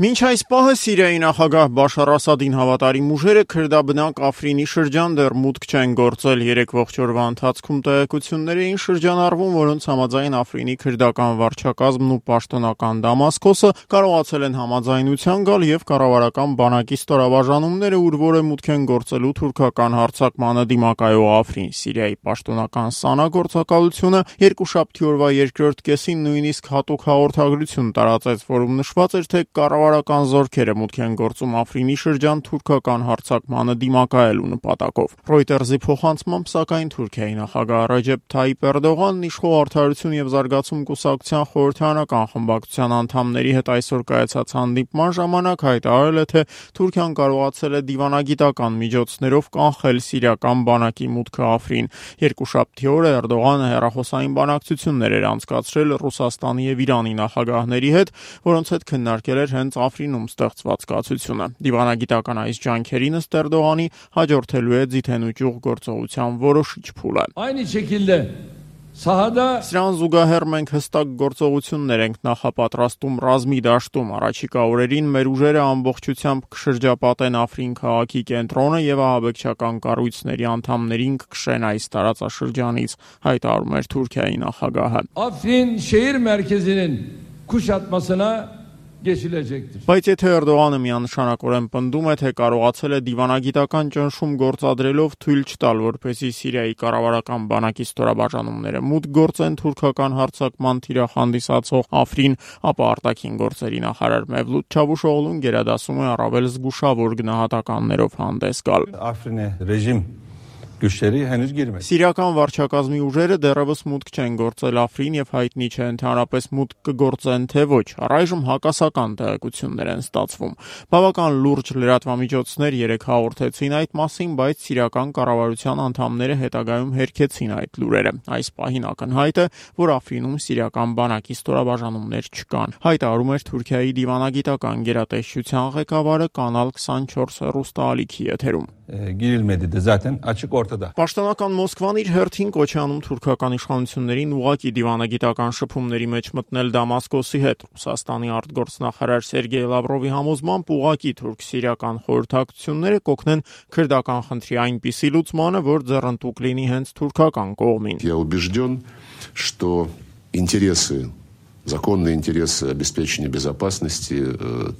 Մինչ այս պահը Սիրիայի նախագահ Բաշար Ասադին հավատարիմ ուժերը քրդաբնակ Աֆրինի շրջան դեռ մուտք չեն գործել։ Երեկվող օրվա ընթացքում տեղեկություններ էին շրջանառվում, որոնց համաձայն Աֆրինի քրդական վարչակազմն ու պաշտոնական Դամասկոսը կարողացել են համաձայնության գալ եւ կառավարական բանակի ստորաբաժանումները ուր որ մուտք են գործելու թուրքական հարձակմանը դիմակայող Աֆրին։ Սիրիայի պաշտոնական ՍԱՆԱ գործակալությունը երկուշաբթի օրվա երկրորդ կեսին նույնիսկ հատուկ հաղորդագրություն տարածեց, որում նշված էր, թե կառավարական զորքերը մուտք են գործում Աֆրինի շրջան թուրքական հարձակմանը դիմակայելու նպատակով։ Reuters-ի փոխանցմամբ, սակայն Թուրքիայի նախագահ Ռեջեփ Թայիփ Էրդողանն իշխող Արդարություն եւ զարգացում կուսակցության խորհրդարանական խմբակցության անդամների հետ այսօր կայացած հանդիպման ժամանակ հայտարարել է, թե Թուրքիան կարողացել է դիվանագիտական միջոցներով կանխել սիրիական բանակի մուտքը Աֆրին։ Երկուշաբթի օրը Էրդողանը հեռախոսային բանակցություններ էր անցկացրել Ռուսաստանի եւ Իրանի նախագահների հետ, որոնց հետ քննարկել էր հենց Աֆրինում ստեղծված կացությունը։ Դիվանագիտական այս ջանքերին ըստ Էրդողանի հաջորդելու է ձիթեն ու ճյուղ գործողության որոշիչ փուլը։ Aynı şekilde sahada Սրան զուգահեռ մենք հստակ գործողություններ ենք նախապատրաստում ռազմի դաշտում։ Առաջիկա օրերին մեր ուժերը ամբողջությամբ կշրջապատեն Աֆրին քաղաքի կենտրոնը եւ ահաբեկչական կառույցների անդամներին կքշեն այս տարածաշրջանից, հայտարարում էր Թուրքիայի նախագահը։ Afrin şehir merkezinin kuşatmasına geçilecektir. Բայց եթե Էրդողանը միանշանակորեն պնդում է, թե կարողացել է դիվանագիտական ճնշում գործադրելով թույլ չտալ, որպեսզի Սիրիայի կառավարական բանակի ստորաբաժանումները մուտք գործեն թուրքական հարձակման թիրախ հանդիսացող Աֆրին, ապա արտաքին գործերի նախարար Մևլութ Չավուշօղլուն գերադասում է առավել զգուշավոր գնահատականներով հանդես գալ։ Afrin'e rejim güçleri henüz girmedi. Սիրիական վարչակազմի ուժերը դեռևս մուտք չեն գործել Աֆրին եւ հայտնի չէ ընդհանրապես մուտք կգործեն թե ոչ։ Առայժմ հակասական տեղեկություններ են ստացվում։ Բավական լուրջ լրատվամիջոցներ երեք հաղորդեցին այդ մասին, բայց սիրիական կառավարության անդամները հետագայում հերքեցին այդ լուրերը։ Այս պահին ակնհայտ է, որ Աֆրինում սիրիական բանակի ստորաբաժանումներ չկան, հայտարարում էր Թուրքիայի դիվանագիտական գերատեսչության ղեկավարը Կանալ 24 հեռուստաալիքի եթերում։ Girilmedi de zaten açık ortada. Պաշտոնական Մոսկվան իր հերթին կոչ է անում թուրքական իշխանություններին ուղղակի դիվանագիտական շփումների մեջ մտնել Դամասկոսի հետ։ Ռուսաստանի արտգործնախարար Սերգեյ Լավրովի համոզմամբ ուղղակի թուրք-սիրիական խորհրդակցությունները կօգնեն քրդական խնդրի այնպիսի լուծմանը, որ ձեռնտուկ լինի հենց թուրքական կողմին։ Я убежден, что законные интересы обеспечения безопасности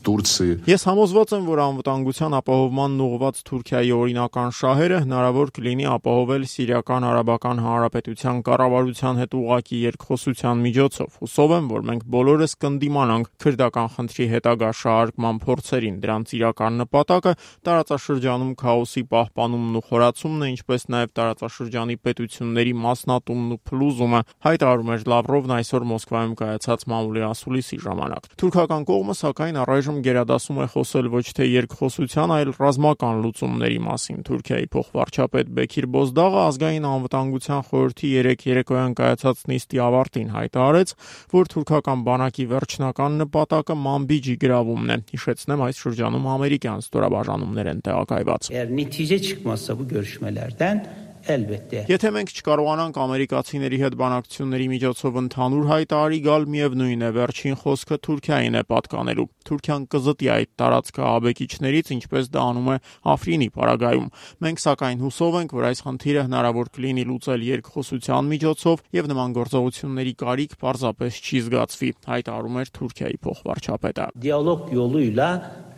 Турции. Ես համոզված եմ, որ անվտանգության ապահովմանն ուղղված Թուրքիայի օրինական շահերը հնարավոր կլինի ապահովել Սիրիական Արաբական Հանրապետության կառավարության հետ ուղղակի երկխոսության միջոցով։ Հուսով եմ, որ մենք բոլորս կընդդիմանանք քրդական խնդրի հետագա շահարկման փորձերին։ Դրանց իրական նպատակը տարածաշրջանում քաոսի պահպանումն ու խորացումն է, ինչպես նաև տարածաշրջանի պետությունների մասնատումն ու փլուզումը, հայտարարում էր Լավրովն այսօր Մոսկվայում կայացած մամուլի ասուլիսի ժամանակ։ Թուրքական կողմը սակայն առայժմ գերադասում է խոսել ոչ թե երկխոսության, այլ ռազմական լուծումների մասին։ Թուրքիայի փոխվարչապետ Բեքիր Բոզդաղը ազգային անվտանգության խորհրդի երեկոյան կայացած նիստի ավարտին հայտարարեց, որ թուրքական բանակի վերջնական նպատակը Մանբիջի գրավումն է։ Հիշեցնեմ, այս շրջանում ամերիկյան ստորաբաժանումներ են տեղակայված։ Eğer netice çıkmazsa bu görüşmelerden elbette. Եթե մենք չկարողանանք ամերիկացիների հետ բանակցությունների միջոցով ընդհանուր հայտարարի գալ, միևնույն է վերջին խոսքը Թուրքիային է պատկանելու։ Թուրքիան կզտի այդ տարածքը ահաբեկիչներից, ինչպես դա անում է Աֆրինի պարագայում։ Մենք սակայն հուսով ենք, որ այս խնդիրը հնարավոր կլինի լուծել երկխոսության միջոցով եւ նման գործողությունների կարիք պարզապես չի զգացվի, հայտարարում էր Թուրքիայի փոխվարչապետը։ Diyalog yoluyla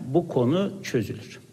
bu konu çözülür.